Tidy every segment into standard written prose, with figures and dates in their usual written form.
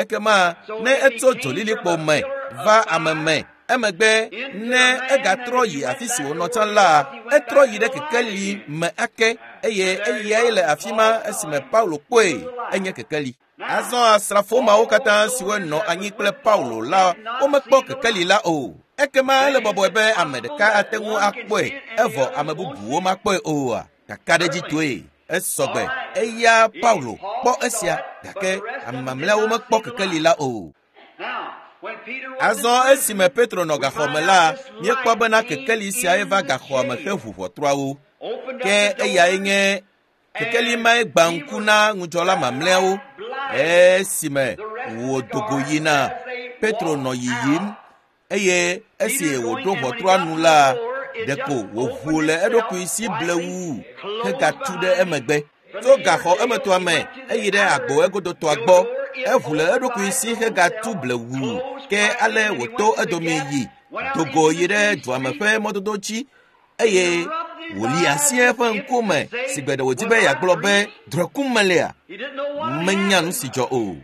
Ekema ne etso dzolilikpo me va ame me, Emegbe ne egatrɔ yi afi si wònɔ tsã la, etrɔ yi ɖe kekeli me ake eye eyae le afi ma esime Paulo kpɔe enye kekeli. Azɔ asrafo mawo katã siwo nɔ anyi kple Paulo la, womekpɔ kekeli la o. Ekema ele bɔbɔe be ame ɖeka ate ŋu akpɔe evɔ ame bubuwo makpɔe oa? Kakaɖedzitɔe esɔgbe eya Paulo kpɔ esia gake ame mamlɛawo mekpɔ kekeli la o. Azɔ esime Petro nɔ gaxɔ me la, míekpɔ bena kekeli siae va gaxɔa me heʋu ʋɔtruawo. Ke eyae nye kekeli mae gbã ŋku na ŋudzɔla mamlɛawo esime wòdo go yina. Petro nɔ yiyim eye esi wòɖo ʋɔtrua nu la, ɖeko wòʋu le eɖokui si blewu hegatu ɖe emegbe. Tso gaxɔ emetɔa me eyi ɖe agbo egodotɔa gbɔ. Eʋu le eɖokui si hegatu blewu ke ale wòto edome yi dogo yi ɖe dua me ƒe mɔdodo dzi eye wòli asi eƒe ŋkume si gbe ɖe wòdi be yeagblɔ be drɔ̃e melea. Menya nu si dzɔ o.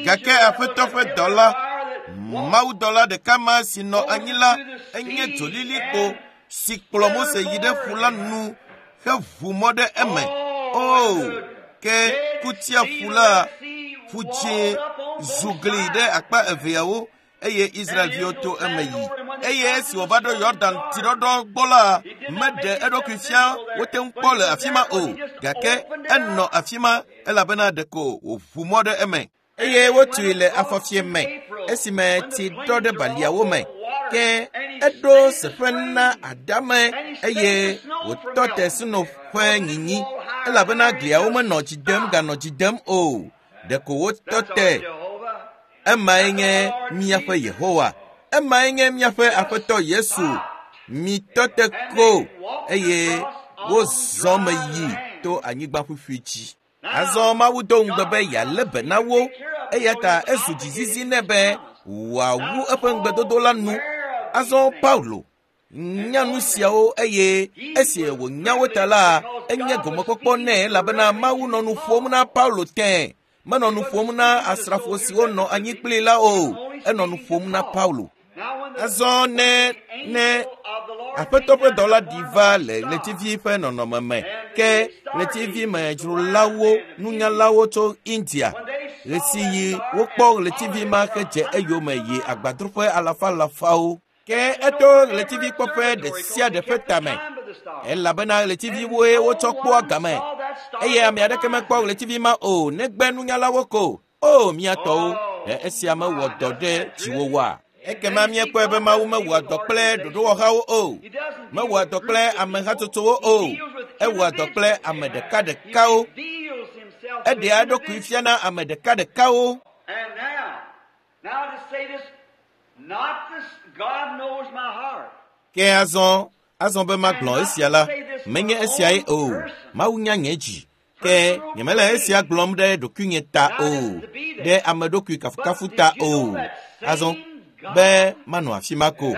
Gake Aƒetɔ ƒe dɔla, mawudɔla ɖeka ma si nɔ anyi la, enye dzolilikpo si kplɔ Mose yi ɖe ƒu la nu heʋu mɔ ɖe eme. O, ke kutia ƒu la, ƒu dzĩ zu gli ɖe akpa eveawo eye Israelviwo to eme yi. Eye esi wòva ɖo Yɔdan tsiɖɔɖɔ gbɔ la, meɖe eɖokui fia wote ŋu kpɔ le afi ma o, gake enɔ afi ma elabena ɖeko wòʋu mɔ ɖe eme. Eye wotui le afɔfie me esime tsi ɖɔ ɖe baliawo me. Ke eɖo seƒe na adame eye wòtɔ te sno ƒe nyinyi elabena gliawo menɔ dzi dem ganɔ dzi dem o. Ɖeko wotɔ te. Emae nye míaƒe Yehowa. Emae nye míaƒe Aƒetɔ Yesu. Mitɔ te ko eye wozɔ me yi to anyigba ƒuƒui dzi. Azɔ Mawu do ŋugbe be yealé be na wo eya ta ezu dzizizi nɛ be wòawu eƒe ŋugbedodo la nu. Azɔ Paulo nya nu siawo eye esi wònya wo ta la, enye gomekpɔkpɔ nɛ elabena Mawu nɔ nu ƒom na Paulo tẽ. Menɔ nu ƒom na asrafo siwo nɔ anyi kplii la o. Enɔ nu ƒom na Paulo. Azɔ ne Aƒetɔ ƒe dɔla ɖi va le ɣletivi ƒe nɔnɔme me ke ɣletivimedzrolawo nunyalawo tso India ɣesiɣi wokpɔ ɣletivi ma hedze eyome yi agbadroƒe alafalafawo. Ke eto ɣletivikpɔƒe ɖe sia ɖe ƒe tame elabena ɣletiviwoe wotsɔ kpɔa game eye ame aɖeke mekpɔ ɣletivi ma o negbe nunyalawo ko. O mía tɔwo, ɖe esia mewɔ dɔ ɖe dziwò oa? Ekema míekpɔe be Mawu mewɔa dɔ kple ɖoɖowɔhawo o, mewɔa dɔ kple amehatsotsowo o, ewɔa dɔ kple ame ɖekaɖekawo. Eɖea eɖokui fiana ame ɖekaɖekawo. Ke azɔ be magblɔ esia la, menye esiae o. Mawu nya nye dzi. Ke nyemele esia gblɔm ɖe ɖokuinye ta o, ɖe ame ɖokui kafukafu ta o. Azɔ be manɔ afi ma ko.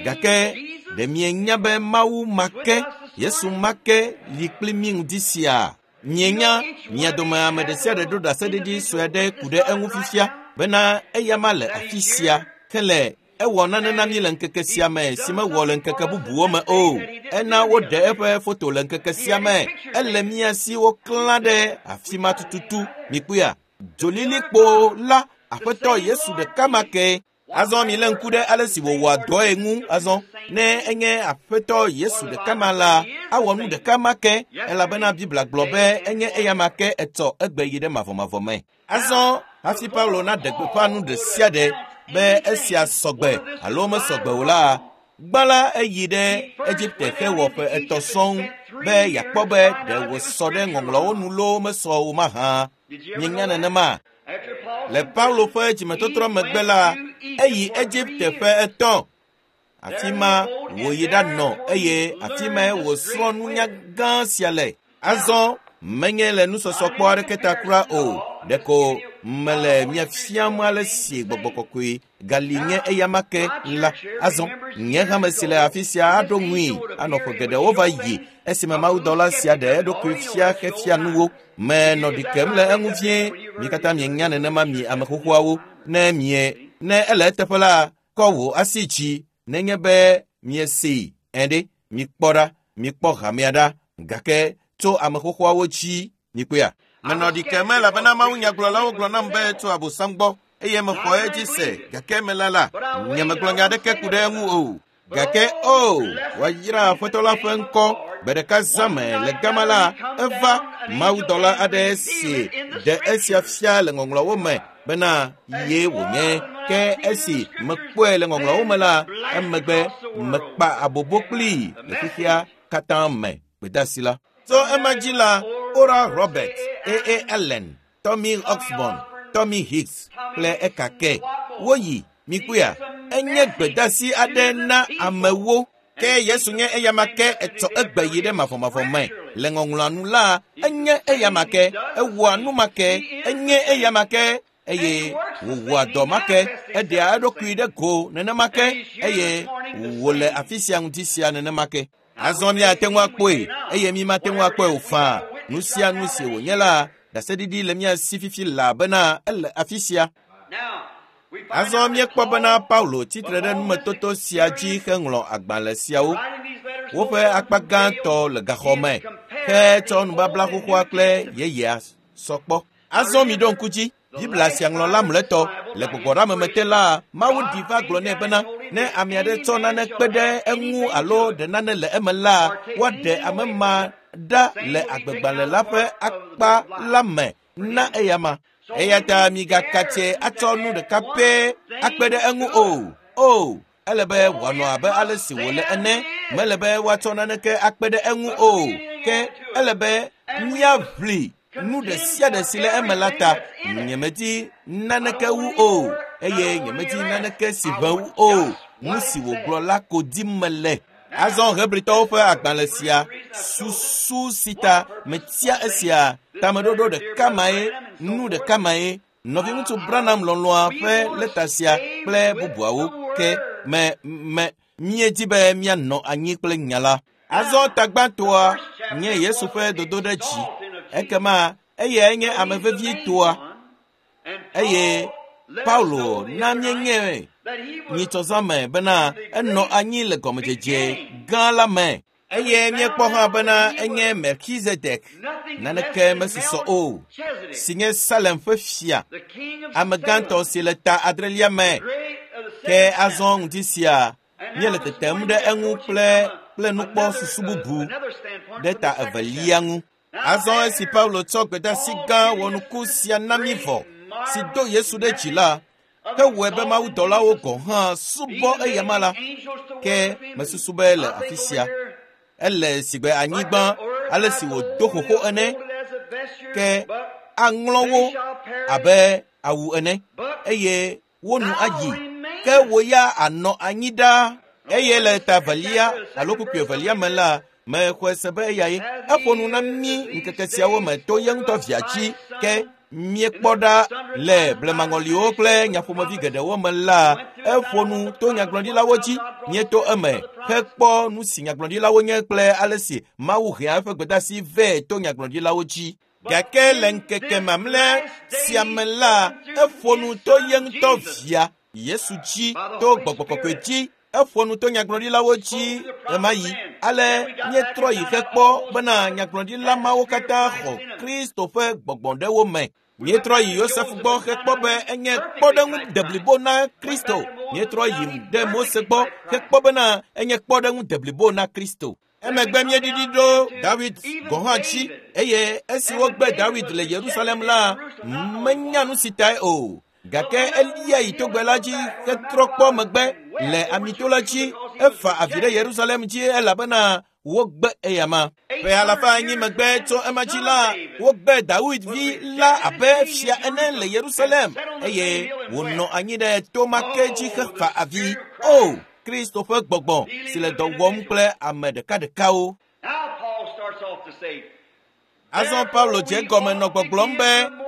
Gake ɖe mienya be Mawu ma ke, Yesu ma ke li kpli mí ŋdi sia? Mienya mia dome ame ɖe sia ɖe ɖo ɖaseɖiɖi sue aɖe ku ɖe eŋu fifia bena eya ma le afi sia ke le ewɔ nane na mí le ŋkeke sia me si mewɔ le ŋkeke bubuwo me o. Ena woɖe eƒe foto le ŋkeke sia me. Ele mía si woklã ɖe afi ma tututu. Mikpɔea? Dzolilikpo la, Aƒetɔ Yesu ɖeka ma ke. Azɔ milé ŋku ɖe ale si wòwɔa dɔe ŋu azɔ. Ne enye Aƒetɔ Yesu ɖeka ma la, awɔ nu ɖeka ma ke elabena Biblia gblɔ be enye eya ma ke etsɔ egbe yi ɖe mavɔmavɔ me. Azɔ hafi Paulo naɖe gbeƒã nu ɖe sia ɖe be esia sɔgbe alo mesɔgbe o la, gbã la eyi ɖe Egipte hewɔ ƒe etɔ̃ sɔŋ be yeakpɔ be ɖe wòsɔ ɖe ŋɔŋlɔawo nu loo mesɔ o mahã. Mienya nenema? Le Paulo ƒe dzimetɔtrɔ megbe la, eyi Egipte ƒe etɔ̃. Afi ma wòyi ɖanɔ eye afi mae wòsrɔ̃ nunya gã sia le. Azɔ menye le nusɔsɔkpɔ aɖeke ta kura o. Ɖeko mele mia fiam ale si gbɔgbɔ kɔkɔe gali nye eyama ke la. Azɔ nye hame si le afi sia aɖo ŋui anɔ ƒe geɖewo va yi esime mawudɔla sia ɖe eɖokui fia xefia nuwo. Menɔ ɖi kem le eŋu vie. Mi katã mienya nenema mi ame xoxoawo. Ne mie ne ele eteƒe la, kɔ wò asi dzi nenye be miesee ɛ ɖe. Mikpɔ ɖa, mikpɔ hamea ɖa, gake tso ame xoxoawo dzi mikpɔea. Menɔ ɖi kem elabena mawunyagblɔlawo gblɔ nam be tso Abosam gbɔ eye mexɔ edzi se, gake mela la, nyemegblɔ nya aɖeke ku ɖe eŋu o. Gake o, woayra Aƒetɔ la ƒe ŋkɔ. Gbe ɖeka zãme le gama la, eva mawudɔla aɖe si ɖe esia fia le ŋɔŋlɔawo me bena ye wònye. Ke esi mekpɔe le ŋɔŋlɔawo me la, emegbe mekpa abobo kplii le xexea katã me gbedeasi la. Tso ema dzi la, Oral Roberts, A.A. Allen, Tommy Osborn, Tommy Hicks kple ekake woyi mikpɔea. Enye gbedeasi aɖe na amewo. Ke Yesu nye eyama ke etsɔ egbe yi ɖe mavɔmavɔ me. Le ŋɔŋlɔa nu la, enye eyama ke, ewɔa nu ma ke, enye eyama ke, eye wòwɔa dɔ ma ke, eɖea eɖokui ɖe go nenema ke, eye wòle afi sia ŋuti sia nenema ke. Azɔ míate ŋu akpɔe, eye mímate ŋu akpɔe o faa. Nu sia nu si wònye la, ɖaseɖiɖi le mía si fifi laa ele afi sia. Azɔ míekpɔ bena Paulo tsitre ɖe numetoto sia dzi heŋlɔ agbalẽ siawo. Woƒe akpa gãtɔ le gaxɔ me hetsɔ nubabla xoxoa kple yeyea sɔ kpɔ. Azɔ miɖo ŋku dzi, Biblia sia ŋlɔla mlɔetɔ le gbɔgbɔɖeameme te la, Mawu ɖi va gblɔ nɛ bena ne ame aɖe tsɔ nane kpe ɖe eŋu alo ɖe nane le eme la, woaɖe ame ma ɖa le agbegbalẽ la ƒe akpa la me na eyama. Eya ta migakatse atsɔ nu ɖeka pɛ akpe ɖe eŋu o. O, ele be wòanɔ abe ale si wòle ene. Mele be woatsɔ naneke akpe ɖe eŋu o. Ke ele be míaʋli nu ɖe sia ɖe si le eme la ta. Nyemedi naneke wu o, eye nyemedi naneke si ʋẽ wu o. Nu si wògblɔ la ko dim mele. Azɔ Hebritɔwo ƒe agbalẽ sia, susu si ta metia esia, tameɖoɖo ɖeka mae, nu ɖeka mae, nɔviŋutsu Branham lɔlɔ̃a ƒe lɛta sia kple bubuawo ke me míedi be míanɔ anyi kple nya la. Azɔ tagbãtɔa nye Yesu ƒe dodoɖedzi. Ekema eyae nye ame vevitɔa, eye Paulo na míenye nyitsɔzãme bena enɔ anyi le gɔmedzedze gã la me. Eye míekpɔ hã bena enye Melchizedek, naneke mesusɔ o, si nye Salem ƒe fia, ame gãtɔ si le ta adrelia me. Ke azɔ ŋdi sia míele tetem ɖe eŋu kple nukpɔsusu bubu ɖe ta evelia ŋu. Azɔ esi Paulo tsɔ gbedeasi gã wɔnuku sia na mí vɔ, si do Yesu ɖe dzi la, hewɔe be mawudɔlawo gɔ̃ hã subɔ eyama la, ke mesusu be le afi sia ele sigbe anyigba ale si wòdo xoxo ene, ke aŋlɔ wo abe awu ene, eye wo nu ayi, ke wo ya anɔ anyi ɖaa. Eye le ta evelia alo kpukpui evelia me la, mexɔe se be eyae eƒo nu na mí ŋkeke siawo me to ye ŋutɔ via dzi. Ke míekpɔ ɖa le blemaŋɔliwo kple nyaƒomevi geɖewo me la, eƒo nu to nyagblɔɖilawo dzi. Míeto eme hekpɔ nu si nyagblɔɖilawo nye kple ale si Mawu hea eƒe gbedeasi vɛ to nyagblɔɖilawo dzi. Gake le ŋkeke mamlɛ sia me la, eƒo nu to ye ŋutɔ via Yesu dzi, to gbɔgbɔ kɔkɔe dzi. Eƒo nu to nyagblɔɖilawo dzi ɣemaɣi. Ale míetrɔ yi hekpɔ bena nyagblɔɖila mawo katã xɔ Kristo ƒe gbɔgbɔ ɖe wo me. Míetrɔ yi Yosef gbɔ hekpɔ be enye kpɔɖeŋu deblibo na Kristo. Míetrɔ yi ɖe Mose gbɔ hekpɔ bena enye kpɔɖeŋu deblibo na Kristo. Emegbe míeɖiɖi ɖo Dawid gɔ̃ hã dzi, eye esi wogbe Dawid le Yerusalem la, menya nu si tae o. Gake elia yi togbe la dzi hetrɔ kpɔ megbe le amito la dzi, efa avi ɖe Yerusalem dzi elabena wogbe eyama. Ƒe alafa enyi megbe tso ema dzi la, wogbe Dawid vi la abe fia ene le Yerusalem, eye wònɔ anyi ɖe to ma ke dzi hefa avi. O, Kristo ƒe gbɔgbɔ si le dɔ wɔm kple ame ɖekaɖekawo. Azɔ Paulo dze gɔme nɔ gbɔgblɔm be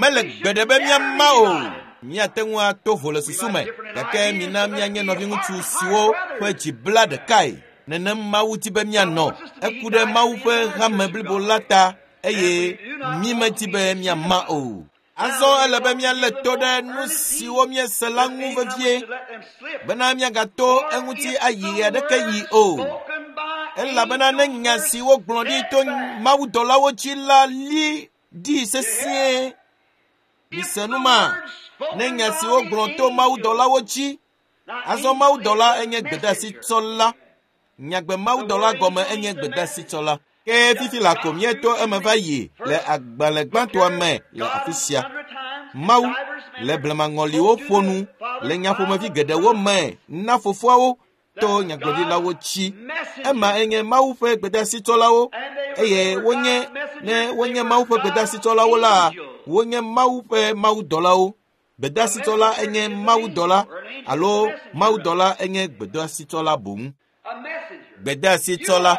Mele gbeɖe be míama o. Míate ŋu ato vo le susu me, gake mina míanye nɔviŋutsu siwo ƒe dzi bla ɖekae. Nenem Mawu di be míanɔ. Eku ɖe Mawu ƒe hame blibo la ta eye mímedi be míama o. Azɔ ele be míalé to ɖe nu siwo míese la ŋu vevie bena míagato eŋuti ayi aɖeke yi o. Elabena ne nya si wogblɔ ɖi to mawudɔlawo dzi la li ɖi sesĩe. Mise nu ma. Ne nya si wogblɔ to mawudɔlawo dzi. Azɔ mawudɔla enye gbedeasitsɔla. Nyagbe mawudɔla gɔme enye gbedeasitsɔla. Ke fifi la ko míeto eme va yi le agbalẽ gbãtɔa me le afi sia. Mawu le blemaŋɔliwo ƒo nu le nyaƒomevi geɖewo me na fofoawo to nyagblɔɖilawo dzi. Ema enye Mawu ƒe gbedeasitsɔlawo eye wonye ne wonye Mawu ƒe gbedeasitsɔlawo la, wonye Mawu ƒe mawudɔlawo. Gbedeasitsɔla enye mawudɔla alo mawudɔla enye gbedeasitsɔla boŋ. Gbedeasitsɔla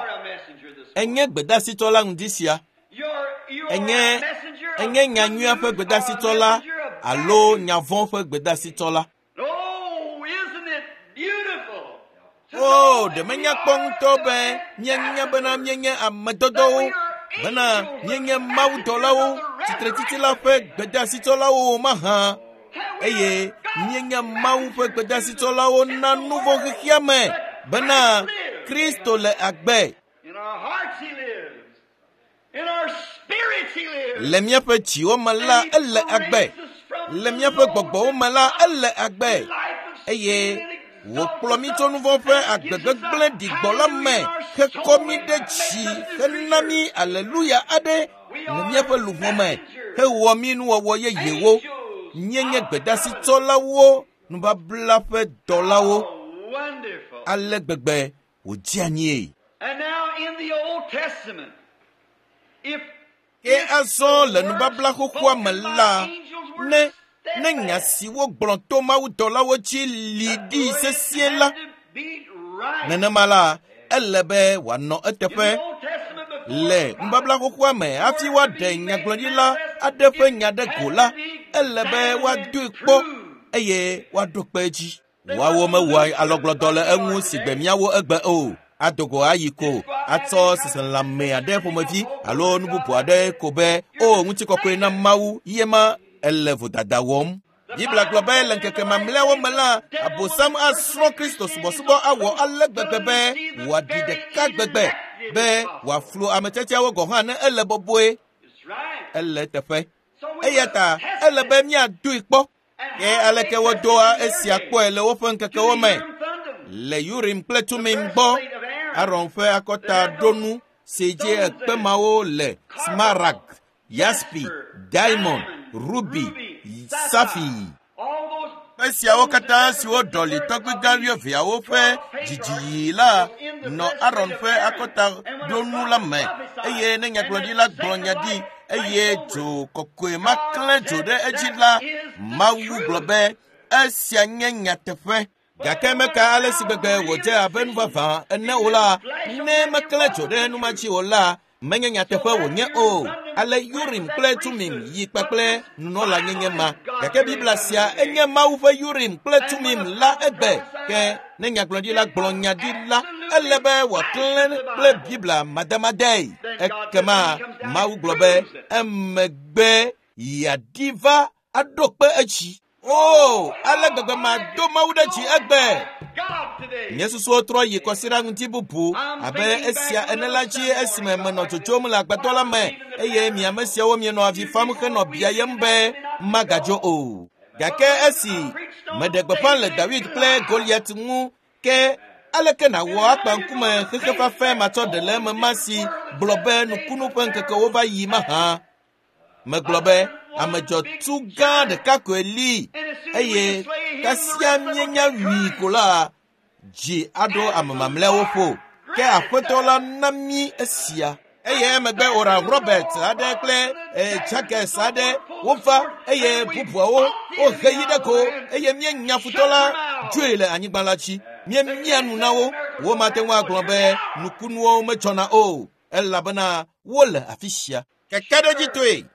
enye gbedeasitsɔla ŋdi sia. Enye enye nyanyuia ƒe gbedeasitsɔla alo nyavɔ̃ ƒe gbedeasitsɔla. O, ɖe menya kpɔ ŋutɔ be míenya bena míenye amedɔdɔwo, bena míenye mawudɔlawo, tsitretsitsi la ƒe gbedeasitsɔlawo mahã eye míenye Mawu ƒe gbedeasitsɔlawo na nu vɔ̃ xexea me bena Kristo le agbe. In our hearts he lives. In our spirits he lives. Le míaƒe dziwo me la, ele agbe. Le míaƒe gbɔgbɔwo me la, ele agbe. Eye wòkplɔ mí tso nu vɔ̃ ƒe agbegbegblẽ ɖigbɔ la me hekɔ mí ɖe dzi hena mí aleluya aɖe le míaƒe luʋɔ me hewɔ mí nuwɔwɔ yeyewo. Míenye gbedeasitsɔlawo, nubabla ƒe dɔlawo. Oh, wonderful. Ale gbegbe wòdze anyie. And now in the Old Testament, if Ke azɔ le nubabla xoxoa me la, ne ne nya si wogblɔ to mawudɔlawo dzi li ɖi sesĩe la, nenema la, ele be wòanɔ eteƒe le nubabla xoxoa me hafi woaɖe nyagblɔɖila aɖe ƒe nya ɖe go la, ele be woadoe kpɔ eye woaɖo kpe edzi. Woawo mewɔa alɔgblɔdɔ le eŋu si gbe míawo egbe o. Adogo ayi ko atsɔ seselãme aɖe ƒomevi alo nu bubu aɖe ko be o ŋutikɔkɔe na Mawu ye ma ele vodada wɔm. Biblia gblɔ be le ŋkeke mamlɛawo me la, Abosam asrɔ̃ Kristo subɔsubɔ awɔ ale gbegbe be wòaɖi ɖeka gbegbe be wòaflu ame tiatiawo gɔ̃ hã ne ele bɔbɔe. It's right. Ele eteƒe. So we Eya ta ele be míadoe kpɔ. Ke aleke wodoa esia kpɔe le woƒe ŋkekewo me? Le Urim kple Tumim gbɔ, Aron ƒe akɔtaɖonu si dzi ekpe mawo le smaragd, yaspi, diamond, ruby, safi. All those Kpe siawo katã siwo ɖɔli tɔgbigã wuieveawo ƒe dzidziɣi la nɔ Aron ƒe akɔtaɖonu la me eye ne nyagblɔɖila gblɔ nya ɖi eye dzo kɔkɔe ma klẽ dzo ɖe edzi la, Mawu gblɔ be esia nye nyateƒe. Gake meka ale si gbegbe wòdze abe nu vavã ene o la, ne meklẽ dzo ɖe nu ma dzi o la, menye nyateƒe wònye o. Ale Urim kple Tumim yi kpakple nunɔlanyenye ma. Gake Biblia sia enye Mawu ƒe Urim kple Tumim la egbe. Ke ne nyagblɔɖila gblɔ nya ɖi la, ele be wòaklẽ kple Biblia madamadae. Ekema Mawu gblɔ be emegbe yeaɖi va aɖo kpe edzi. O, ale gbegbe mado Mawu ɖe dzi egbe. God today. Nye susuwo trɔ yi kɔsiɖa ŋuti bubu abe esia ene la dzi esime menɔ dzodzom le agbadɔ la me eye mi ame siawo mienɔ avi fam henɔ biayem be magadzo o. Gake esi meɖe gbeƒã le Dawid kple Goliat ŋu ke aleke nàwɔ akpa ŋkume xexe fafɛ matsɔ ɖe le eme ma si gblɔ be nukunu ƒe ŋkekewo va yi mahã? Megblɔ be ame dzɔtsu gã ɖeka koe li eye kasia míenya wui ko la, dzi aɖo ame mamlɛawo ƒo. Ke aƒetɔ la na mí esia. Eye emegbe Oral Robert aɖe kple Jaggers aɖe wova eye bubuawo wohe yi ɖe go eye míenya futɔ la dzoe le anyigba la dzi. Míemia nu na wo. Womate ŋu agblɔ be nukunuwo medzɔna o elabena wole afi sia. Kakaɖedzitɔe,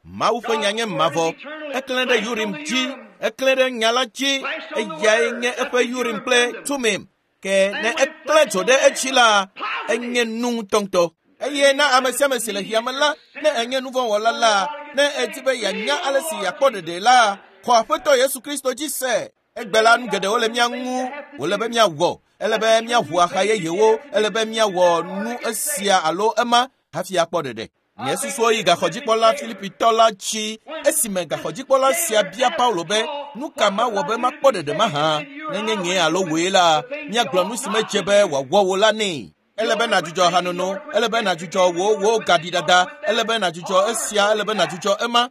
Mawu ƒe nya nye mavɔ. Eklẽ ɖe Urim dzi Eklẽ ɖe nya la dzi, eyae nye eƒe Urim kple Tumim. Ke ne eklẽ dzo ɖe edzi la, enye nu ŋutɔŋutɔ. Eye na ame sia ame si le xexea me la, ne enye nu vɔ̃ wɔla la, ne edi be yeanya ale si yeakpɔ ɖeɖe la, xɔ Aƒetɔ Yesu Kristo dzi se. Egbe la, nu geɖewo le mía ŋu wòle be míawɔ. Ele be míaʋu axa yeyewo, ele be míawɔ nu esia alo ema hafi akpɔ ɖeɖe. Nye susuwo yi gaxɔdzikpɔla Filipitɔ la dzi esime gaxɔdzikpɔla sia bia Paulo be, nu ka mawɔ be makpɔ ɖeɖe mahã? Nenye nye alo wòe la, míagblɔ nu si medze be wòawɔ wò la nɛ. Ele be nàdzudzɔ hanono, ele be nàdzudzɔ wò wò gaɖiɖada, ele be nàdzudzɔ esia, ele be nàdzudzɔ ema.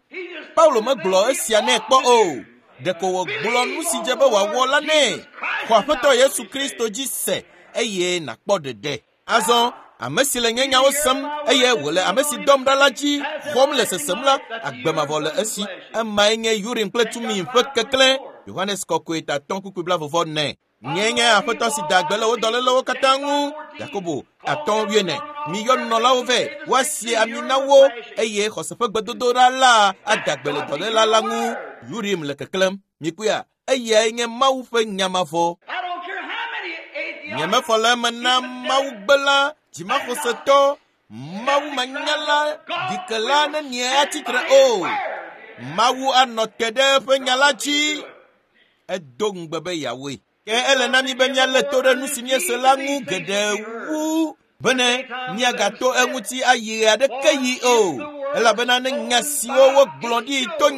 Paulo megblɔ esia nɛ kpɔ o. Ɖeko wògblɔ nu si dze be wòawɔ la nɛ. Xɔ Aƒetɔ Yesu Kristo dzi se eye nàkpɔ ɖeɖe. Azɔ, ame si le nye nyawo sem eye wòle ame si dɔm ɖa la dzi xɔm le sesem la, agbe mavɔ le esi. Emae nye Urim kple Tumim ƒe keklẽ. Yohanes Kɔkɔe ta 5:44. Nye nye Aƒetɔ si da gbe le wo dɔlélewo katã ŋu. Yakobo 5:9. Miyɔ nunɔlawo vɛ, woasi ami na wo eye xɔse ƒe gbedodoɖa la ada gbe le dɔléla la ŋu. Urim le keklẽm. Mikpɔea, eyae nye Mawu ƒe nya mavɔ. Nyemefɔ le eme na Mawu gbela, dzimaxɔsetɔ, Mawu manyala, ɖikela ne mie atsitre o. Mawu anɔ te ɖe eƒe nya la dzi. Edo ŋugbe be yeawɔe. Ke ele na mi be míalé to ɖe nu si míese la ŋu geɖe wu bene míagato eŋuti ayi aɖeke yi o. Elabena ne nya siwo wogblɔ ɖi to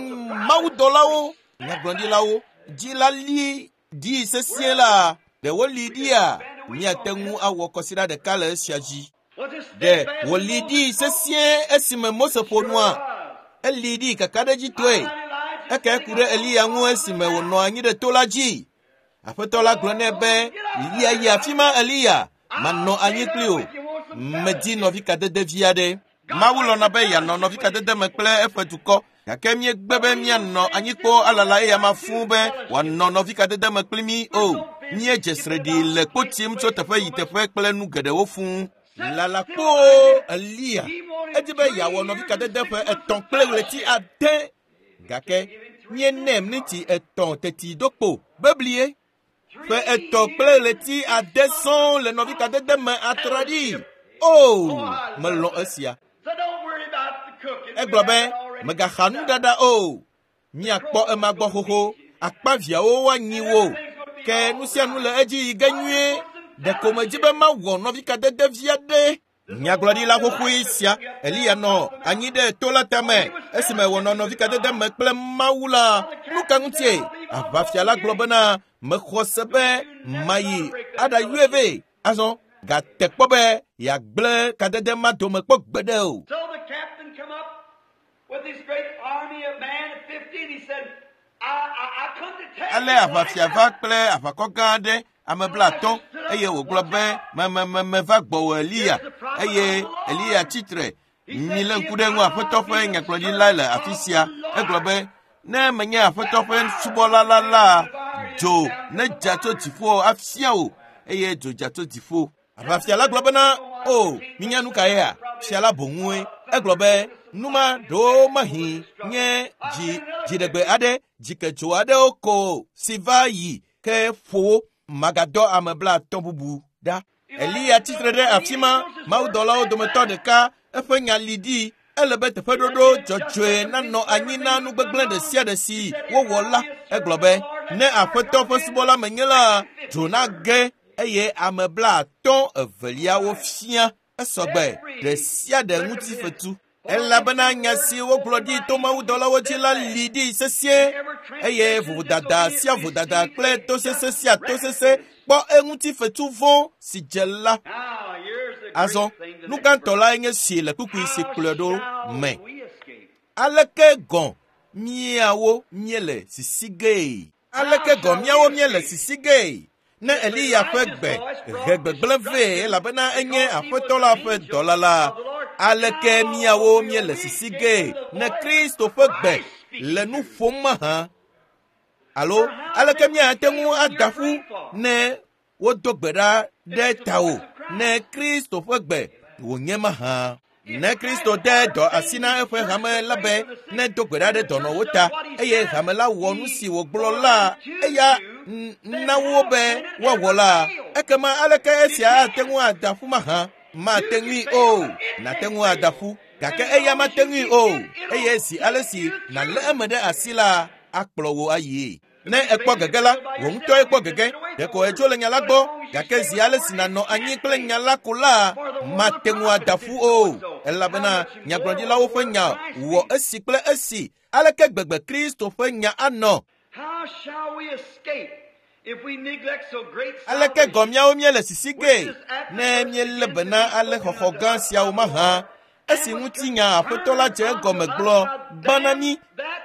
mawudɔlawo, nyagblɔɖilawo dzi la li ɖi sesĩe la, ɖe woli ɖia, míate ŋu awɔ kɔsiɖa ɖeka le esia dzi. Ɖe wòli ɖi sesĩe esime Mose ƒo nua? Eli ɖi kakaɖedzitɔe. Eke ku ɖe Eliya ŋu esime wònɔ anyi ɖe to la dzi. Aƒetɔ la gblɔ nɛ be, lia yi afi ma Eliya, manɔ anyi kpli o. Medi nɔvikadede vi aɖe. Mawu lɔ̃na be yeanɔ nɔvikadede me kple eƒe dukɔ, gake míegbe be míanɔ anyi kpoo alala eya ma fũu be wòanɔ nɔvikadede me kpli mí o. Míedze sreɖi le kpo tim tso teƒe yi teƒe kple nu geɖewo fũu. Lala kpoo Eliya edi be yeawɔ nɔvikadede ƒe 3 kple ɣleti 6, gake míenɛ miniti 3 teti do kpo beblie. Ƒe 3 kple ɣleti 6 sɔŋ le nɔvikadede me atraɖii. O, melɔ̃ esia. Egblɔ be, megaxa nuɖaɖa o. Míakpɔ ema gbɔ xoxo. Akpaviãwo woanyi wo. Ke nu sia nu le edzi yi ge nyuie. Ɖeko medzi be mawɔ nɔvikadede vi aɖe. Nyagblɔɖila xoxoe sia, Eliya nɔ anyi ɖe to la tame esime wònɔ nɔvikadede me kple Mawu la. Nu ka ŋutie? Aʋafia la gblɔ bena, mexɔ se be mayi aɖayɔe vɛ. Azɔ, gate kpɔ be yeagblẽ kadede ma dome kpɔ gbeɖe o. So the captain come up with his great army of man of 50, and he said, I come to tell Ale you aʋafia va kple aʋakɔ gã aɖe, ame 50, eye wògblɔ be, meva gbɔwò Eliya. Eye Eliya tsitre. Milé ŋku ɖe ŋu, Aƒetɔ ƒe nyagblɔɖila le afi sia. Egblɔ be, ne menye Aƒetɔ ƒe subɔla la la, dzo nedza tso dziƒo afia wò, eye dzo dza tso dziƒo. Aʋafia la gblɔ bena, o, minya nu ka yea? Fia la boŋue. Egblɔ be, nu ma ɖewo mahi nye dziɖegbe aɖe, dzikedzo aɖewo ko si va yi ke ƒo wo. Magadɔ ame 50 bubu ɖa. Eliya tsitre ɖe afi ma, mawudɔlawo dometɔ ɖeka, eƒe nya li ɖi. Ele be teƒeɖoɖo dzɔdzɔe nanɔ anyi na nu gbegblẽ ɖe sia ɖe si wowɔ la. Egblɔ be, ne Aƒetɔ ƒe subɔla menye la, dzo nage eye ame 52 fia esɔgbe ɖe sia ɖe ŋuti fetu. Elabena nya si wogblɔ ɖi to mawudɔlawo dzi la li ɖi sesĩe, eye vodada sia vodada kple tosese sia tosese kpɔ eŋuti fetu vɔ̃ si dze la. Azɔ, nu gãtɔ lae nye si le kpukpui si kplɔe ɖo me. Aleke gɔ̃ míawo míele sisi gee? Aleke gɔ̃ míawo míele sisi gee? Ne Eliya ƒe gbe he gbegblẽ vɛ elabena enye Aƒetɔ la ƒe dɔla la, aleke míawo míele sisi gee ne Kristo ƒe gbe le nu ƒom mahã? Alo aleke míate ŋu ada ƒu ne wodo gbe ɖa ɖe tawò ne Kristo ƒe gbe wònye mahã? Ne Kristo de dɔ asi na eƒe hame la be ne do gbe ɖa ɖe dɔnɔwo ta eye hame la wɔ nu si wògblɔ la eya na wo be woawɔ la, ekema aleke esia ate ŋu ada ƒu mahã? Mate ŋui o. Nate ŋu ada ƒu gake eya mate ŋui o. Eye zi ale si nàlé eme ɖe asi la, akplɔ wò ayie. Ne ekpɔ gege la, wò ŋutɔe kpɔ gege. Ɖeko èdzo le nya la gbɔ, gake zi ale si nànɔ anyi kple nya la ko la, mate ŋu ada ƒu o. Elabena nyagblɔɖilawo ƒe nya wɔ esi kple esi. Aleke gbegbe Kristo ƒe nya anɔ? Aleke gɔ míawo míele sisi gee ne míelé be na ale xɔxɔ gã siawo mahã? Esi ŋutinya Aƒetɔ la dze egɔme gblɔ gbã na mí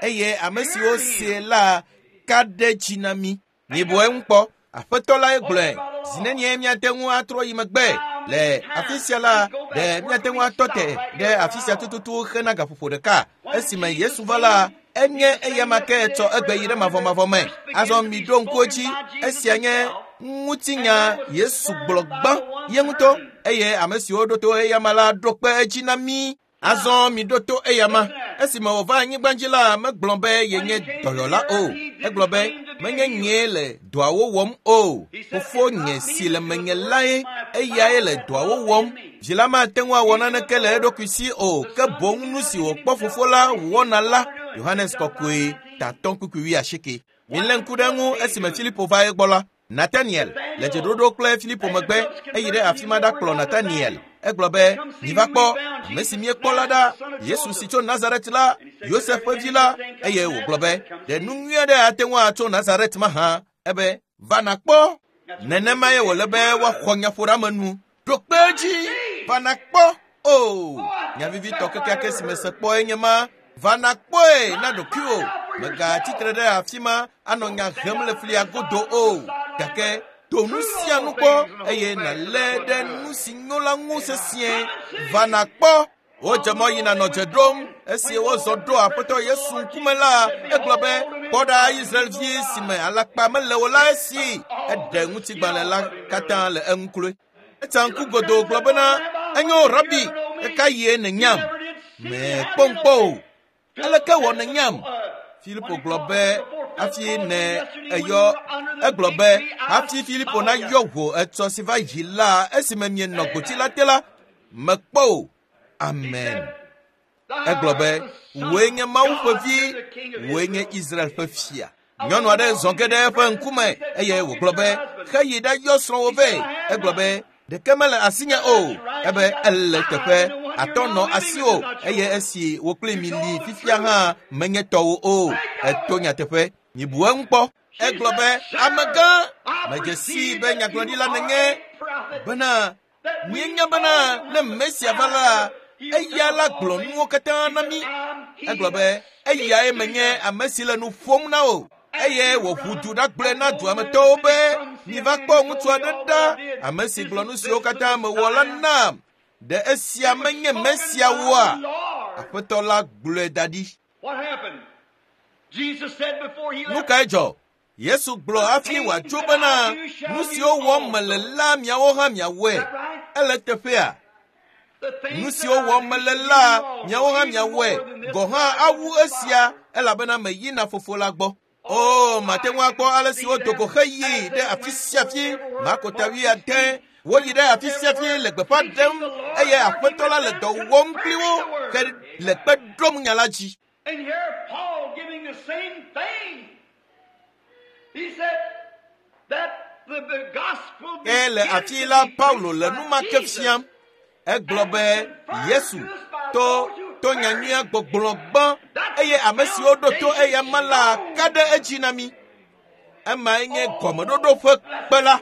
eye ame siwo see la ka ɖe dzi na mí. Mibu eŋu kpɔ. Aƒetɔ lae gblɔe. Zi nenie míate ŋu atrɔ yi megbe le afi sia la, ɖe míate ŋu atɔ te ɖe afi sia tututu hena gaƒoƒo ɖeka. Esime Yesu va la, enye eyama ke tsɔ egbe yi ɖe mavɔmavɔ me. Azɔ miɖo ŋku edzi, esia nye ŋutinya Yesu gblɔ gbã ye ŋutɔ eye ame siwo ɖo to eyama la ɖo kpe edzi na mí. Azɔ miɖo to eyama. Esime wòva anyigba dzi la, megblɔ be yenye dɔyɔla o. Egblɔ be, menye nyee le dɔawo wɔm o. Fofonye si le menye lae, eyae le dɔawo wɔm. Vi la mate ŋu awɔ naneke le eɖokui si o, ke boŋ nu si wòkpɔ fofo la wɔna la. Yohanes Kɔkɔe, tatɔ kpukpui wuiasieke. Milé ŋku ɖe eŋu esime Filipo va egbɔ la. Nataniel le dzeɖoɖo kple Filipo megbe eyi ɖe afi ma ɖakplɔ Nataniel. Egblɔ be, miva kpɔ ame si míekpɔ la ɖa, Yesu si tso Nazaret la, Yosef ƒe vi la. Eye wògblɔ be, ɖe nu nyui aɖe ate ŋu atso Nazaret mahã? Ebe, va nàkpɔ. Nenemae wòle be woaxɔ nyaƒoɖeamenu. Ɖo kpe edzi, va nàkpɔ. O, nya vivitɔ kekeake si mese kpɔe nye ma. Va nàkpɔe na ɖokuiwò. Mègatsitre ɖe afi ma anɔ nya hem le flia godo o. Gake to nu sia nu kpɔ eye nàlé ɖe nu si nyo la ŋu sesĩe. Va nàkpɔ. Wodze mɔ yina nɔ dze ɖom. Esi wozɔ ɖo Aƒetɔ Yesu ŋkume la, egblɔ be, kpɔ ɖa Israelvi si me alakpa mele o la esi. Eɖe ŋutigbalẽ la katã le eŋu kloe. Etsa ŋku godoo gblɔ bena, enyo Rabi, eka yie nènyam? Mèkpɔm kpɔ o. Aleke wɔ nènyam? Filipo gblɔ be hafi ne eyɔ egblɔ be hafi Filipo nayɔ wò etsɔ si va yi la esime mienɔ gboti la te la, mekpɔ o. Amen. Egblɔ be, wòe nye Mawu ƒe vi, wòe nye Israel ƒe fia. Nyɔnu aɖe zɔ ge ɖe eƒe ŋkume eye wògblɔ be, xeyi ɖayɔ srɔ̃wò vɛ. Egblɔ be, ɖeke mele asinye o. Ebe ele teƒe, atɔ nɔ asiwò eye esi wò kpli mi li fifia hã menye tɔwò o. Eto nyateƒe. Mibu eŋu kpɔ. Egblɔ be, amegã, medze sii be nyagblɔɖila nènye bena míenya bena ne Mesia va la, eya la gblɔ nuwo katã na mí. Egblɔ be, eyae menye ame si le nu ƒom na wò. Eye wòʋu du ɖagblɔe na duametɔwo be, miva kpɔ ŋutsu aɖe ɖa, ame si gblɔ nu siwo katã mewɔ la nam. Ɖe esia menye Mesia woa? Aƒetɔ la gblɔe da ɖi. Nu kae dzɔ? Yesu gblɔ hafi wòatso bena nu siwo wɔm mele la miawo hã miawɔe. Ele teƒea? Nu siwo wɔm mele la miawo hã miawɔe. Gɔ hã awu esia elabena meyina fofo la gbɔ. O, mate ŋu akpɔ ale si wodo go xeyi ɖe afi sia afi. Marko ta wuiade. Woyi ɖe afi sia afi le gbeƒã ɖem eye Aƒetɔ la le dɔ wɔm kpli wo ke le kpe ɖom nya la dzi. And here Paul giving the same thing. He said that the gospel Ke le afi la Paulo le nu ma ke fiam. Egblɔ be Yesu to to nyanyuia gbɔgblɔ gbã eye ame siwo ɖo to eyama la ka ɖe edzi na mí. Emae nye gɔmeɖoɖo ƒe kpe la.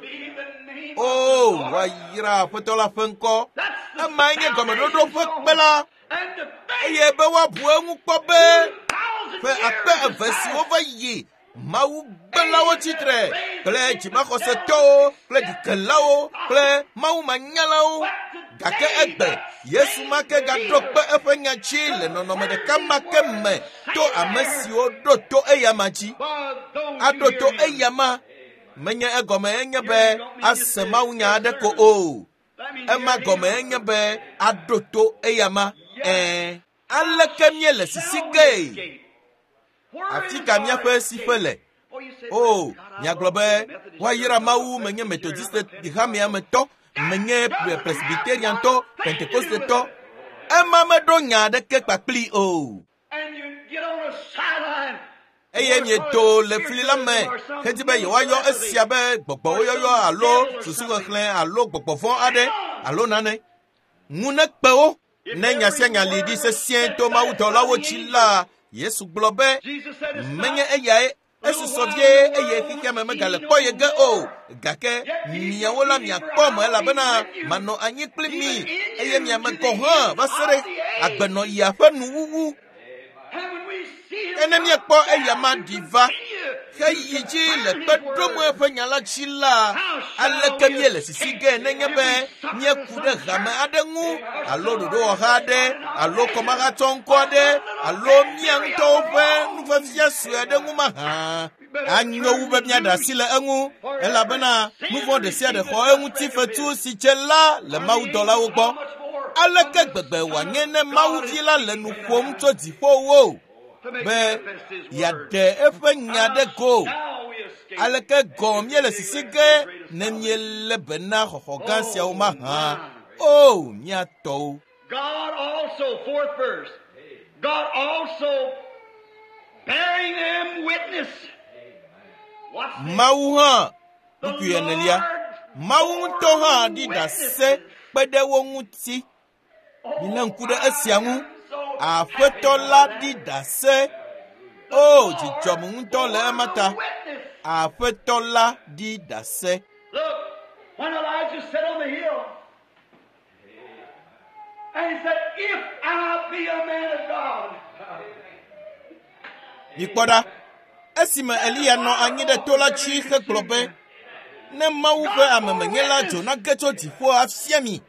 O, woayra Aƒetɔ la ƒe ŋkɔ. Emae nye gɔmeɖoɖo ƒe kpe la. Eye be woabu eŋu kpɔ be ƒe akpe eve siwo va yi Mawu gbelawo tsitre kple dzimaxɔsetɔwo kple ɖikelawo kple Mawu manyalawo. Gake egbe Yesu ma ke gaɖo kpe eƒe nya dzi le nɔnɔme ɖeka ma ke me to ame siwo ɖo to eyama dzi. Aɖo to eyama menye egɔme enye be ase mawunya aɖe ko o. Ema gɔme enye be aɖo to eyama. Aleke míele sisi gee? Afi ka míaƒe siƒe le? O, miagblɔ be woayra Mawu, menye Methodist hamea me tɔ, menye Presbyteriantɔ, Pentecostetɔ. Ema meɖo nya aɖeke kpakpli o. Eye miedo le fli la me hedi be yewoayɔ esia be gbɔgbɔwoyɔyɔ alo susuxexlẽ alo gbɔgbɔ vɔ̃ aɖe alo nane. Ŋu nekpe wo. Ne nya sia nya li ɖi sesĩe to mawudɔlawo dzi la, Yesu gblɔ be menye eyae esusɔ vie eye xexea me megale kpɔ ye ge o, gake miawo la miakpɔ me elabena manɔ anyi kpli mi eye miame gɔ̃ hã va se ɖe agbenɔɣia ƒe nuwuwu. Ke ne míekpɔ eya ma ɖi va heyi dzi le kpe ɖom eƒe nya la dzi la, aleke míele sisi ge nenye be míeku ɖe hame aɖe ŋu alo ɖoɖowɔha aɖe alo kɔmahatsɔŋkɔ aɖe alo mía ŋutɔwo ƒe nufafia sue aɖe ŋu mahã? Anyo wu be míaɖe asi le eŋu, elabena nu vɔ̃ ɖe sia ɖe xɔ eŋuti fetu si dze la le mawudɔlawo gbɔ. Aleke gbegbe wòanye ne Mawuvi la le nu ƒom tso dziƒowo be yeaɖe eƒe nya ɖe go? Aleke gɔ̃ míele sisi ge ne míelé be na xɔxɔ gã siawo mahã? O, mía tɔwo! God also, fourth verse, God also bearing them witness. What's this? Mawu hã, kpukpui enelia, Mawu ŋutɔ hã ɖi ɖase kpe ɖe wo ŋuti. Milé ŋku ɖe esia ŋu. Aƒetɔ la ɖi ɖase. O, dzidzɔm ŋutɔ le ema ta. Aƒetɔ la ɖi ɖase. Look, when Elijah sat on the hill, and he said, If I be a man of God, Mikpɔ ɖa, esime Eliya nɔ anyi ɖe to la dzi hegblɔ be, ne Mawu ƒe amemenye la dzo nage tso dziƒo afia mi.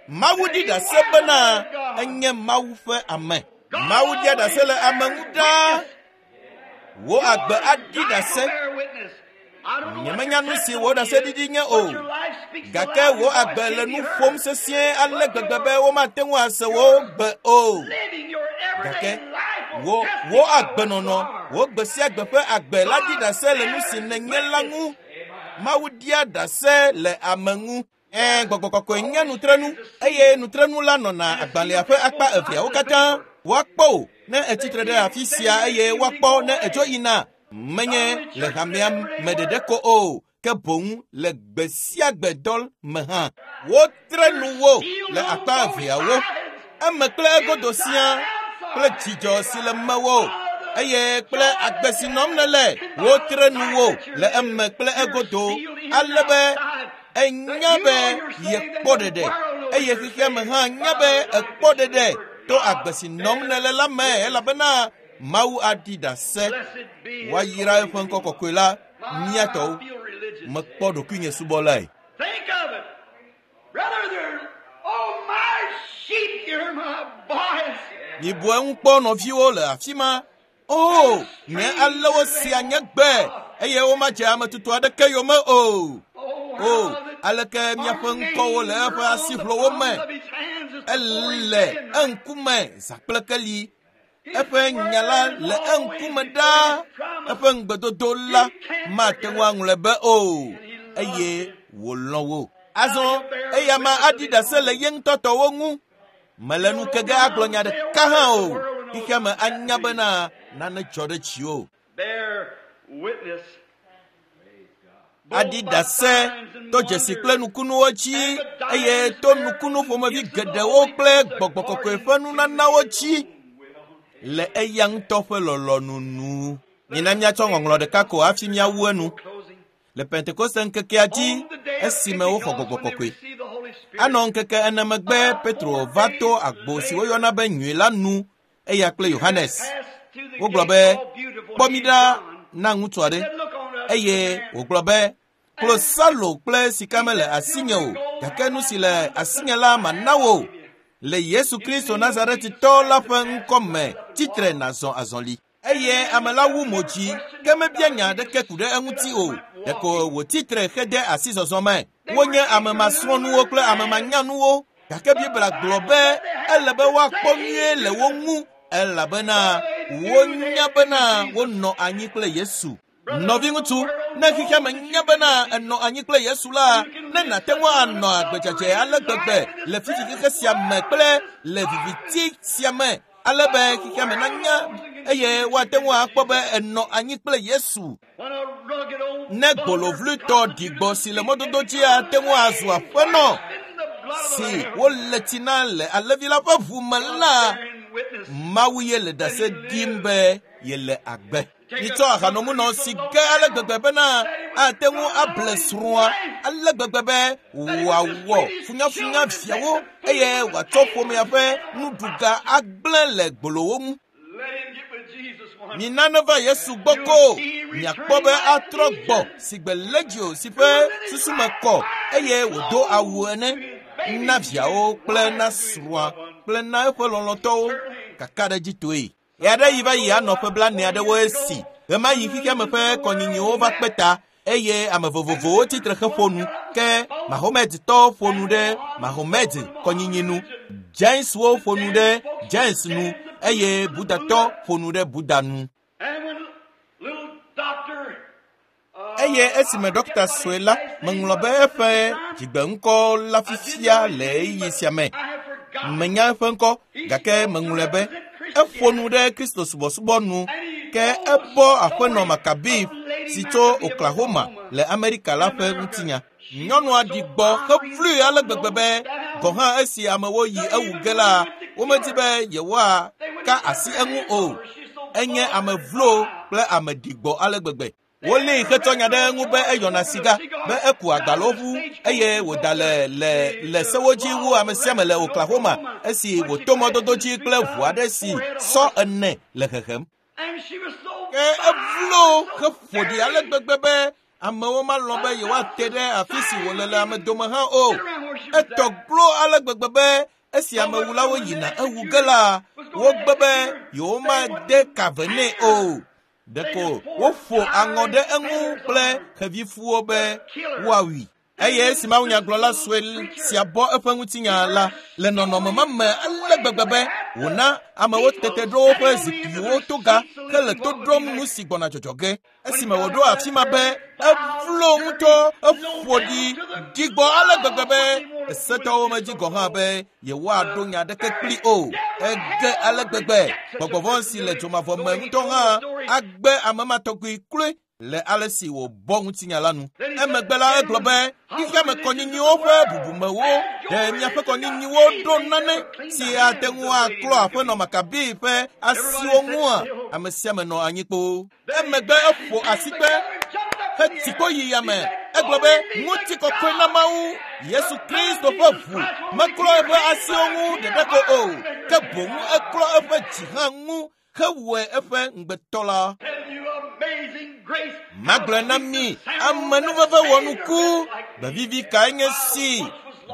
Mawu ɖi ɖase bena enye Mawu ƒe ame. Mawu ɖia ɖase le ame ŋu ɖaa. Wò agbe aɖi ɖase. Nyemenya nu si wò ɖaseɖiɖi nye o, gake wò agbe le nu ƒom sesĩe ale gbegbe be womate ŋu ase wò gbe o. Gake wò agbenɔnɔ, wò gbe sia gbe ƒe agbe la ɖi ɖase le nu si nènye la ŋu. Mawu ɖia ɖase le ame ŋu. Gbɔgbɔ kɔkɔe nye nutrenu eye nutrenu la nɔna agbalẽa ƒe akpa eveawo katã. Woakpɔ wò ne etsitre ɖe afi sia eye woakpɔ ne edzo yina. Menye le hamea me ɖeɖe ko o, ke boŋ le gbe sia gbe dɔ me hã. Wotre nu wo le akpa eveawo, eme kple egodo sia, kple dzidzɔ si le mewò eye kple agbe si nɔm nèle. Wotre nu wo le eme kple egodo ale be enya be yekpɔ ɖeɖe eye xexea me hã nya be ekpɔ ɖeɖe to agbe si nɔm nèle la me, elabena Mawu aɖi ɖase. Woayra eƒe ŋkɔ kɔkɔe la, mía tɔwo. Mekpɔ ɖokuinye subɔlae. Think of it. Brother, there, oh, my sheep hear my voice. Mibu eŋu kpɔ nɔviwo le afi ma. O, nye alewo sia nye gbe eye womadze ame tutu aɖeke yome o. O, aleke miaƒe ŋkɔwo le eƒe asiʋlowo me. Ele eŋkume zã kple keli. Eƒe nya la le eŋkume ɖaa. Eƒe ŋugbedodo la mate ŋu aŋlɔe be o eye wòlɔ̃ wo. Azɔ eya ma aɖi ɖase le ye ŋutɔ tɔwo ŋu. Mele nu ke ge agblɔ nya ɖeka hã o. Xexea me anya bena nane dzɔ ɖe dziwò. Bear witness. Aɖi ɖase to dzesi kple nukunuwo dzi eye to nukunu ƒomevi geɖewo kple gbɔgbɔ kɔkɔe ƒe nunanawo dzi le eya ŋutɔ ƒe lɔlɔ̃nu nu. Mina míatsɔ ŋɔŋlɔ ɖeka ko hafi míawu enu. Le Pentekoste ŋkekea dzi esime woxɔ gbɔgbɔ kɔkɔe. Anɔ ŋkeke ene megbe Petro va to agbo si woyɔna be nyui la nu eya kple Yohanes. Wogblɔ be, kpɔ mi ɖa na ŋutsu aɖe. Eye wògblɔ be, klosalo kple sika mele asinye o, gake nu si le asinye la mana wò. Le Yesu Kristo Nazaretitɔ la ƒe ŋkɔ me, tsitre nàzɔ azɔli. Eye ame la wu mo dzi, ke mebia nya aɖeke ku ɖe eŋuti o. Ɖeko wòtsitre hede asi zɔzɔ me. Wonye ame masrɔ̃nuwo kple ame manyanuwo. Gake Biblia gblɔ be ele be woakpɔ nyuie le wo ŋu elabena wonya bena wonɔ anyi kple Yesu. Nɔviŋutsu, ne xexea me nya bena enɔ anyi kple Yesu la, ne nàte ŋu anɔ agbedzadze ale gbegbe le fifi xexe sia me kple le viviti sia me, ale be xexea me nanya eye woate ŋu akpɔ be enɔ anyi kple Yesu. Ne gbolovlitɔ ɖigbɔ si le mɔdodo dzi ate ŋu azu aƒenɔ si wole tsi na le alẽvi la ƒe ʋu me la, Mawu ye le ɖase ɖim be yele agbe. Mitsɔ ahanomunɔ si ge ale gbegbe bena ate ŋu able srɔ̃a ale gbegbe be wòawɔ funyafunya viawo eye wòatsɔ ƒomea ƒe nuɖuga agblẽ le gbolowo ŋu. Mina neva Yesu gbɔ ko miakpɔ be atrɔ gbɔ si gbe legio si ƒe susu me kɔ eye wòdo awu ene na viawo kple na srɔ̃a kple na eƒe lɔlɔ̃tɔwo kakaɖedzitɔe. Ɣe aɖe yi va yi anɔ ƒe blaene aɖewo esi ɣemaɣi xexeame ƒe kɔnyinyiwo va kpe ta eye ame vovovowo tsitre heƒo nu ke Mahomedtɔwo ƒo nu ɖe Mahomed kɔnyinyi nu, Jainswo ƒo nu ɖe Jains nu eye Buddhatɔ ƒo nu ɖe Buddha nu. Eye esime ɖɔkta sue la meŋlɔ be eƒe dzigbeŋkɔ la fifia le ɣeyiɣi sia me. Menya eƒe ŋkɔ gake meŋlɔe be eƒo nu ɖe Kristo subɔsubɔ nu ke ebɔ aƒenɔ Makabi si tso Oklahoma le Amerika la ƒe ŋutinya. Nyɔnua ɖi gbɔ hevlui ale gbegbe be gɔ̃ hã esi amewo yi ewu ge la, womedi be yewoaka asi eŋu o. Enye ame vlo kple ame ɖigbɔ ale gbegbe. Wolée hetsɔ nya ɖe eŋu be eyɔna siga, be eku agbaloʋu eye wòda le le le sewo dzi wu ame sia ame le Oklahoma esi wòto mɔdodo dzi kple ʋu aɖe si sɔ ene le hehem. Ke evlo heƒo ɖi ale gbegbe be amewo malɔ̃ be yewoate ɖe afi si wòle le ame dome hã o. Etɔ glo ale gbegbe be esi amewulawo yina ewu ge la, wogbe be yewomade ka ve nɛ o. Ɖeko woƒo aŋɔ ɖe eŋu kple xevifuwo be woawui. Eye esi mawunyagblɔla sue sia bɔ eƒe ŋutinya la le nɔnɔme ma me ale gbegbe be wòna amewo tete ɖo woƒe zikpuiwo toga hele to ɖom nu si gbɔna dzɔdzɔ ge. Esime wòɖo afi ma be evlo ŋutɔ eƒo ɖi ɖigbɔ ale gbegbe be esetɔwo medzi gɔ̃ hã be yewoaɖo nya aɖeke kpli o. Ege ale gbegbe gbɔgbɔvɔ̃ si le dzomavɔ me ŋutɔ hã agbe ame ma tɔgbi kloe le ale si wòbɔ ŋutinya la nu. Emegbe la egblɔ be xexeame kɔnyinyiwo ƒe bubumewo ɖe miaƒe kɔnyinyiwo ɖo nane si ate ŋu aklɔ aƒenɔ Makabi ƒe asiwo ŋua ame sia ame nɔ anyi kpoo. Emegbe eƒo asikpe hetsi kpo yi yame. Egblɔ be ŋutikɔkɔe na Mawu Yesu Kristo ƒe ʋu meklɔ eƒe asiwo ŋu ɖeɖeko o, ke boŋ eklɔ eƒe dzi hã ŋu hewɔe eƒe ŋugbetɔ la. Magblɔe na mi amenuveve wɔnuku gbevivi kae nye si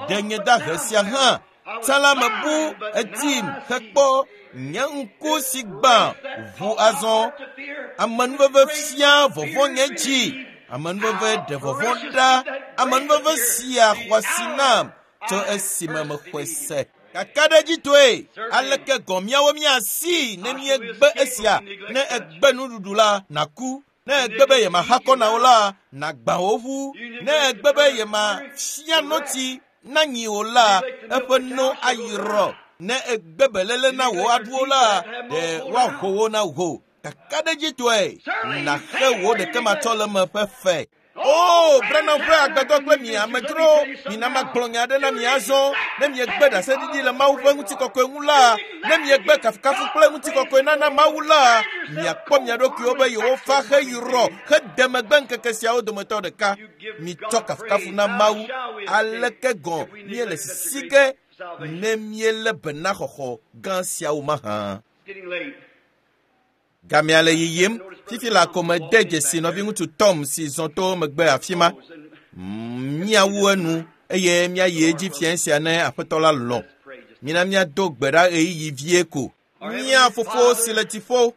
ɖe nye dahe sia hã. Tsã la mebu edim hekpɔ nye ŋku si gbã ʋu azɔ. Amenuveve fia vɔvɔ̃ nye dzi. Amenuveve ɖe vɔvɔ̃ ɖa. Amenuveve sia xɔ asi nam tso esime mexɔe se. Kakaɖedzitɔe aleke gɔ̃ míawo míasi ne míegbe esia ne egbe nuɖuɖu la nàku. Ne egbe be yemaxa kɔ na wo la nàgbã wo ʋu. Ne egbe be yemafia notsi na nyi o la eƒe no ayrɔ. Ne egbe beléle na wò aɖuwo la ɖe woaho wo na wò. Kakaɖedzitɔe nàxe wò ɖekematsɔleme ƒe fe. O, Branham ƒe agbadɔ kple mi amedzro, mina magblɔ nya aɖe na mi azɔ. Ne miegbe ɖaseɖiɖi le Mawu ƒe ŋutikɔkɔe ŋu la, ne miegbe kafukafu kple ŋutikɔkɔe nana Mawu la, miakpɔ mia ɖokuiwo be yewofa heyrɔ hede megbe ŋkeke siawo dometɔ ɖeka. Mitsɔ kafukafu na Mawu. Aleke gɔ̃ míele sisi ge ne míelé be na xɔxɔ gã siawo mahã? Gamea le yiyim. Fifi la ko mede dzesi nɔviŋutsu Tom si zɔ to megbe afi ma. Míawu enu eye míayi edzi fiẽ sia ne aƒetɔ la lɔ̃. Mina míado gbe ɖa ɣeyiɣi vie ko. Mía fofo si le dziƒo,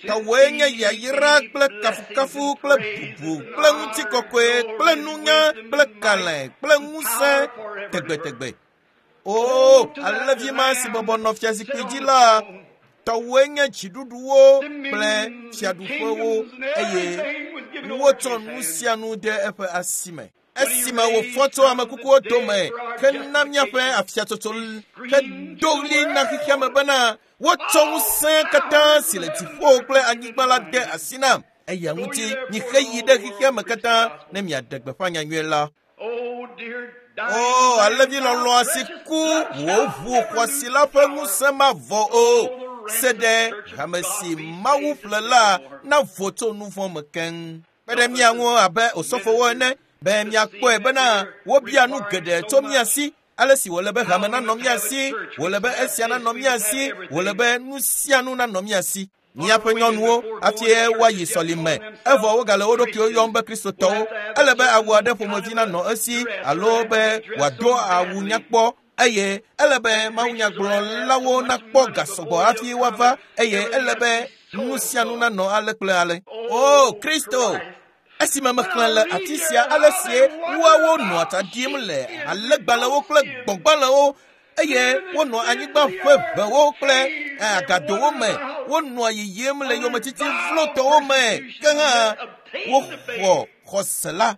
Tɔwòe nye yayra kple kafukafu kple bubu kple ŋutikɔkɔe kple nunya kple kalẽ kple ŋusẽ tegbetegbe. O, alẽvi ma si bɔbɔ nɔ fiazikpui dzi la, tɔwòe nye dziɖuɖuwo kple fiaɖuƒewo eye wotsɔ nu sia nu de eƒe asi me. Esime wòfɔ tso ame kukuwo dome hena míaƒe afiatsotso hedo ɣli na xexea me bena wotsɔ ŋusẽ katã si le dziƒo kple anyigba la de asi nam. Eya ŋuti miheyi ɖe xexea me katã ne miaɖe gbeƒã nyanyui la. O, alẽvi lɔlɔ̃a si ku wò ʋu xɔasi la ƒe ŋusẽ mavɔ o. Se ɖe hame si Mawu ƒle la navo tso nu vɔ̃ me keŋ. Kpe ɖe mía ŋu abe osɔfowo ene be míakpɔe bena wobia nu geɖe tso mía si. Ale si wòle be hame nanɔ mía si, wòle be esia nanɔ mía si, wòle be nu sia nu nanɔ mía si. Míaƒe nyɔnuwo hafi woayi sɔlime evɔ wogale wo ɖokuiwo yɔm be kristotɔwo. Ele be awu aɖe ƒomevi nanɔ esi alo be wòado awu nyakpɔ eye ele be mawunyagblɔlawo nakpɔ ga sɔgbɔ hafi woava eye ele be nu sia nu nanɔ ale kple ale. O Kristo! Esime mexlẽ le afi sia ale sie woawo nɔa tsa ɖim le alẽgbalẽwo kple gbɔ̃gbalẽwo eye wonɔ anyigba ƒe ʋewo kple agadowo me. Wonɔa yiyim le yometiti vlotɔwo me. Ke hã woxɔ xɔse la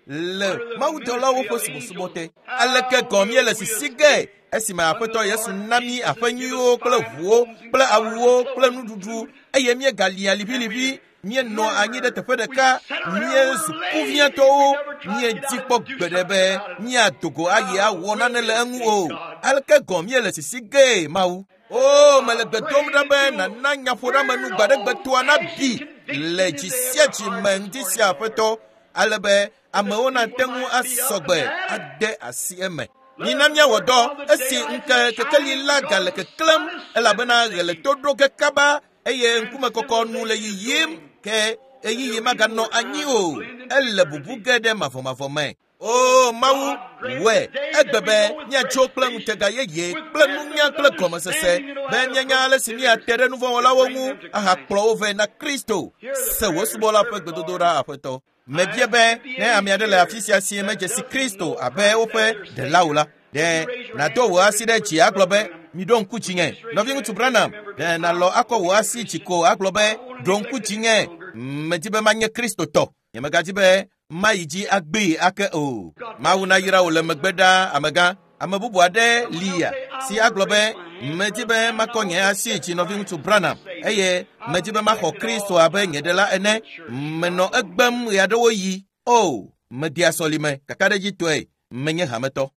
le mawudɔlawo ƒe subɔsubɔ te. Aleke gɔ̃ míele sisi ge esime Aƒetɔ Yesu na mí aƒe nyuiwo kple ʋuwo kple awuwo kple nuɖuɖu eye míegalia liʋiliʋi, míenɔ anyi ɖe teƒe ɖeka, míezu kuviatɔwo, míedi kpɔ gbeɖe be míado go ayi awɔ nane le eŋu o. Aleke gɔ̃ míele sisi gee Mawu? O, mele gbe dom ɖa be nàna nyaƒoɖeamenu gbaɖegbetoa nabi le dzi sia dzi me ŋdi sia Aƒetɔ, ale be amewo nate ŋu asɔgbe ade asi eme. Mina míawɔ dɔ esi ŋke kekeli la gale keklẽm elabena ɣe le to ɖo ge kaba eye ŋkumekɔkɔ nu le yiyim ke ɣeyiɣi maganɔ anyi o. Ele bubu ge ɖe mavɔmavɔ me. O Mawu, wɔe egbe be míatso kple ŋutega yeye kple nunya kple gɔmesese be míanya ale si míate ɖe nuvɔ̃wɔlawo ŋu ahakplɔ wo vɛ na Kristo. Se wò subɔla ƒe gbedodoɖa, Aƒetɔ. Mebia be ne ame aɖe le afi sia si medze si Kristo abe woƒe ɖela o la, ɖe nàdo wò asi ɖe dzi agblɔ be, miɖo ŋku dzinye. Nɔviŋutsu Branham, ɖe nàlɔ akɔ wò asi dzi ko agblɔ be, ɖo ŋku dzinye. Medi be manye Kristotɔ. Nyemegadzi be mayi dzi agbee ake o. Mawu nayra wò le megbe ɖaa, amegã. Ame bubu aɖe lia si agblɔ be, medi be makɔ nye asi dzi nɔviŋutsu Branham eye medi be maxɔ Kristo abe nye ɖela ene. Menɔ egbem ɣeaɖewoɣi. O, medea sɔlime kakaɖedzitɔe. Menye hametɔ.